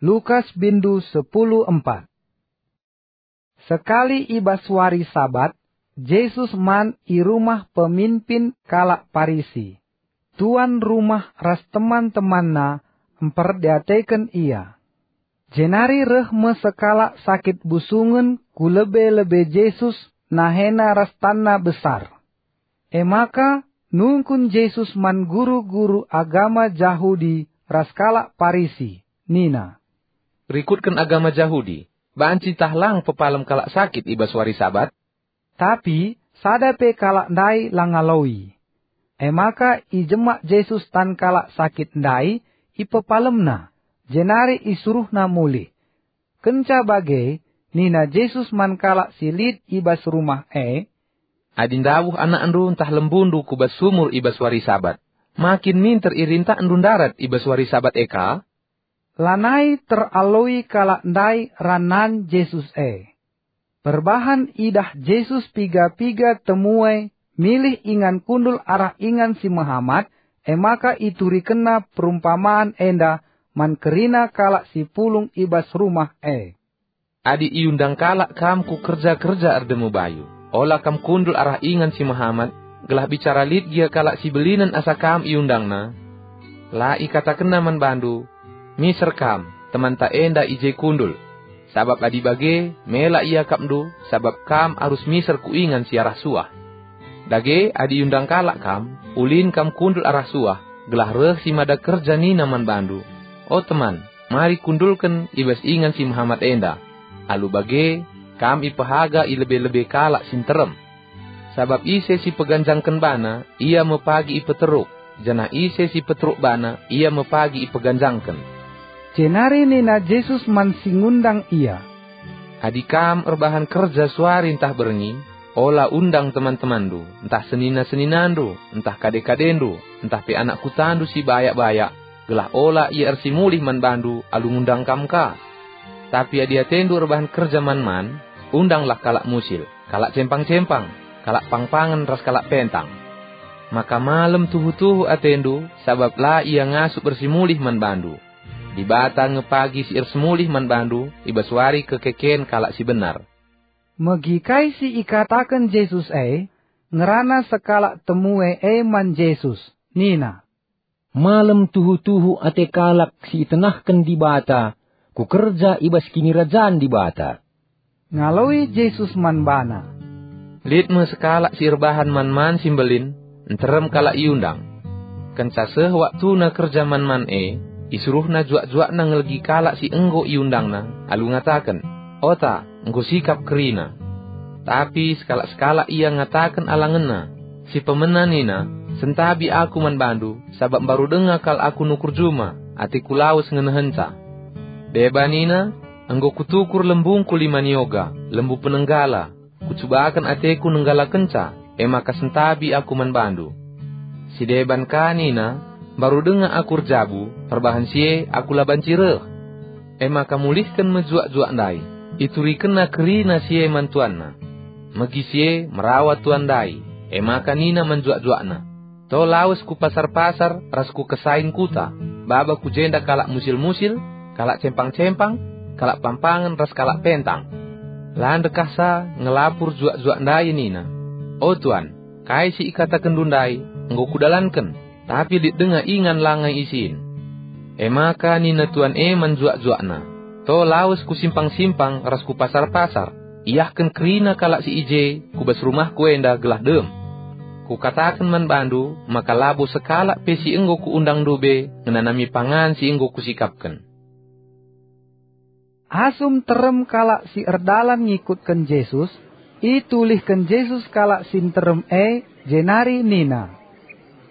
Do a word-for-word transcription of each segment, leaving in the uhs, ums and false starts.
Lukas bindu sepuluh empat. Sekali i bas wari Sabat, Jesus man i rumah peminpin kalak Parisi. Tuan rumah ras teman-temanna mperdiateken ia. Jenari reh me sekalak sakit busungen ku lebe-lebe Jesus nahena ras tanna besar. E maka nungkun Jesus man guru-guru agama Jahudi ras kalak Parisi, nina, "Rikutken agama Jahudi, banci tah lang pepalem kalak sakit i bas wari Sabat?" Tapi sada pe kalak ndai la ngaloi. E maka ijemak Jesus tan kalak sakit ndai, ipepalemNa, jenari isuruhNa mulih. Kenca bage, nina Jesus man kalak si lit i bas rumah e, "Adi ndabuh anakndu ntah lembundu ku bas sumur i bas wari Sabat, ma kin minter irintakndu ndarat i bas wari Sabat e ka?" Lanai teraloi kalak ndai ranan Jesus e. Perbahan idah Jesus piga-piga temue milih ingan kundul arah ingan si mehamat, e maka iturikenna perumpaman enda man kerina kalak si pulung i bas rumah e. "Adi iundang kalak kam ku kerja-kerja erdemu bayu, ola kam kundul arah ingan si mehamat, gelah bicara lit gia kalak si belinen asa kam iundangna. La ikatakenna man bandu, 'Miser kam, temanta enda i je kundul.' Sabap adi bage, mela iakapndu, sabap kam arus miser ku ingan si arah suah. Dage, adi iundang kalak kam, ulin kam kundul arah suah, gelah reh si mada kerja nina man bandu, 'O teman, mari kundulken i bas ingan si mehamat enda.' Alu bage, kam ipehaga i lebe-lebe kalak si nterem. Sabap ise si peganjangken bana, ia me pagi ipeteruk, janah ise si peteruk bana, ia me pagi ipeganjangken." Jenari nina Jesus man si ngundang ia, "Adi kam erbahan kerja suari ntah berngi, ola undang teman-temanndu, ntah senina-seninandu, ntah kade-kadendu, ntah pe anak kutandu si bayak-bayak, gelah ola ia ersimulih man bandu alu ngundang kam ka. Tapi adi atendu erbahan kerja man-man, undanglah kalak musil, kalak cempang-cempang, kalak pangpangen ras kalak pentang. Maka malem tuhu-tuhu atendu, sabap la ia ngasup ersimulih man bandu. Dibata nge pagi si ersimulih man bandu i bas wari kekeken kalak si benar." Megi kai si ikataken Jesus e, ngerana sekalak temue e man Jesus, nina, "Malem tuhu-tuhu ate kalak si itenahken Dibata ku kerja i bas Kinirajan Dibata." Ngaloi Jesus man bana, "Lit me sekalak si erbahan man-man si mbelin, nterem kalak iundang. Kenca seh waktuna kerja man-man e, isuruhna juak-juakna ngelegi kalak si enggo iundangna, alu ngataken, 'Ota, enggo sikap kerina.' Tapi sekalak-sekalak ia ngataken alangenna, si pemena nina, 'Sentabi aku man bandu, sabap mbaru denga kal aku nukur juma, ateku lawes ngenehenca.' Deba nina, 'Enggo kutukur lembungku lima nioga, lembu penenggala, kucubaken ateku nenggalakenca, e maka sentabi aku man bandu.' Si deban ka nina, 'Mbaru denga aku erjabu, perbahan si e aku la banci reh.' E maka mulihken me juak-juak ndai, iturikenna kerina si e man tuanna. Megi si e merawa tuan ndai, e maka nina man juak-juakna, 'To lawes ku pasar-pasar ras ku kesain kuta, baba ku jenda kalak musil-musil, kalak cempang-cempang, kalak pampangen ras kalak pentang.' La ndekahsa ngelapur juak-juak ndai nina, 'O tuan, kai si ikatakenndu ndai enggo kudalanken, tapi lit denga ingan langai isin.' E maka nina tuan e man juak-juakna, 'To lawes ku simpang-simpang ras ku pasar-pasar, iahken kerina kalak si i je ku bas rumahku enda gelah dem. Kukataken man bandu maka labo sekalak pe si enggo kuundangndu be ngenanami pangan si enggo kusikapken.'" Asum terem kalak si erdalan ngikutken Jesus, itulihken Jesus kalak si nterem e, jenari nina,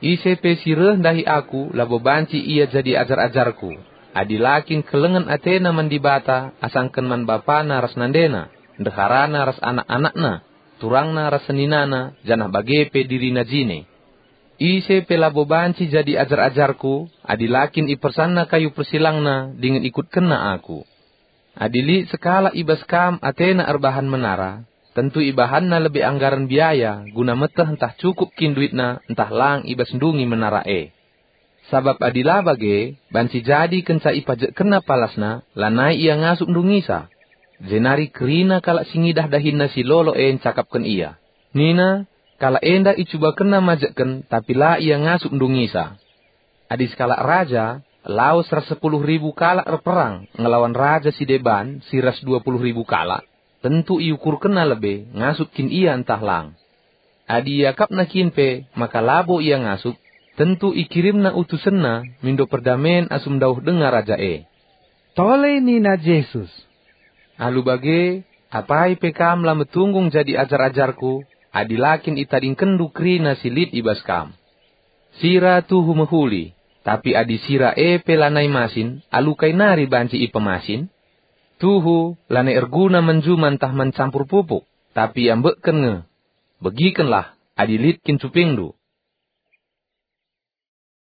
"Ise pe si reh ndahi Aku labo banci ia jadi ajar-ajarKu, adi la kin kelengen atena man Dibata asangken man bapana ras nandena, ndeharana ras anak-anakna, turangna ras seninana, janah bage pe dirina jine. Ise pe labo banci jadi ajar-ajarKu, adi la kin ipersanna kayu persilangna dingen ikutkenna Aku. Adi lit sekalak i bas kam atena erbahan menara, tentu ibahanna lebe anggaren biaya guna meteh ntah cukup kin duitna ntah lang i bas ndungi menara e. Sabap adi la bage, banci jadi kenca ipajekkenna palasna, lanai ia ngasup ndungisa. Jenari kerina kalak si ngidah dahinna si lolo e ncakapken ia. Nina, "Kalak enda icubakenna majekken, tapi la ia ngasup ndungisa." Adi sekalak raja, lawes ras sepuluh ribu kalak erperang ngelawan raja si deban si ras dua puluh ribu kalak, tentu iukurkenna lebe ngasup kin ia ntah lang. Adi iakapna kin pe maka labo ia ngasup, tentu ikirimna utusenna mindo perdamen asum ndauh denga raja e. Tole nina Jesus, "Alu bage, apai pe kam la metunggung jadi ajar-ajarKu, adi la kin itadingkenndu kerina si lit i bas kam. Sira tuhu mehuli, tapi adi sira e pe lanai masin, alu kai nari banci ipemasin? Tuhu, lanai erguna man juma ntah man campur pupuk, tapi iambekken nge. Begikenlah, adi lit kin cupingndu,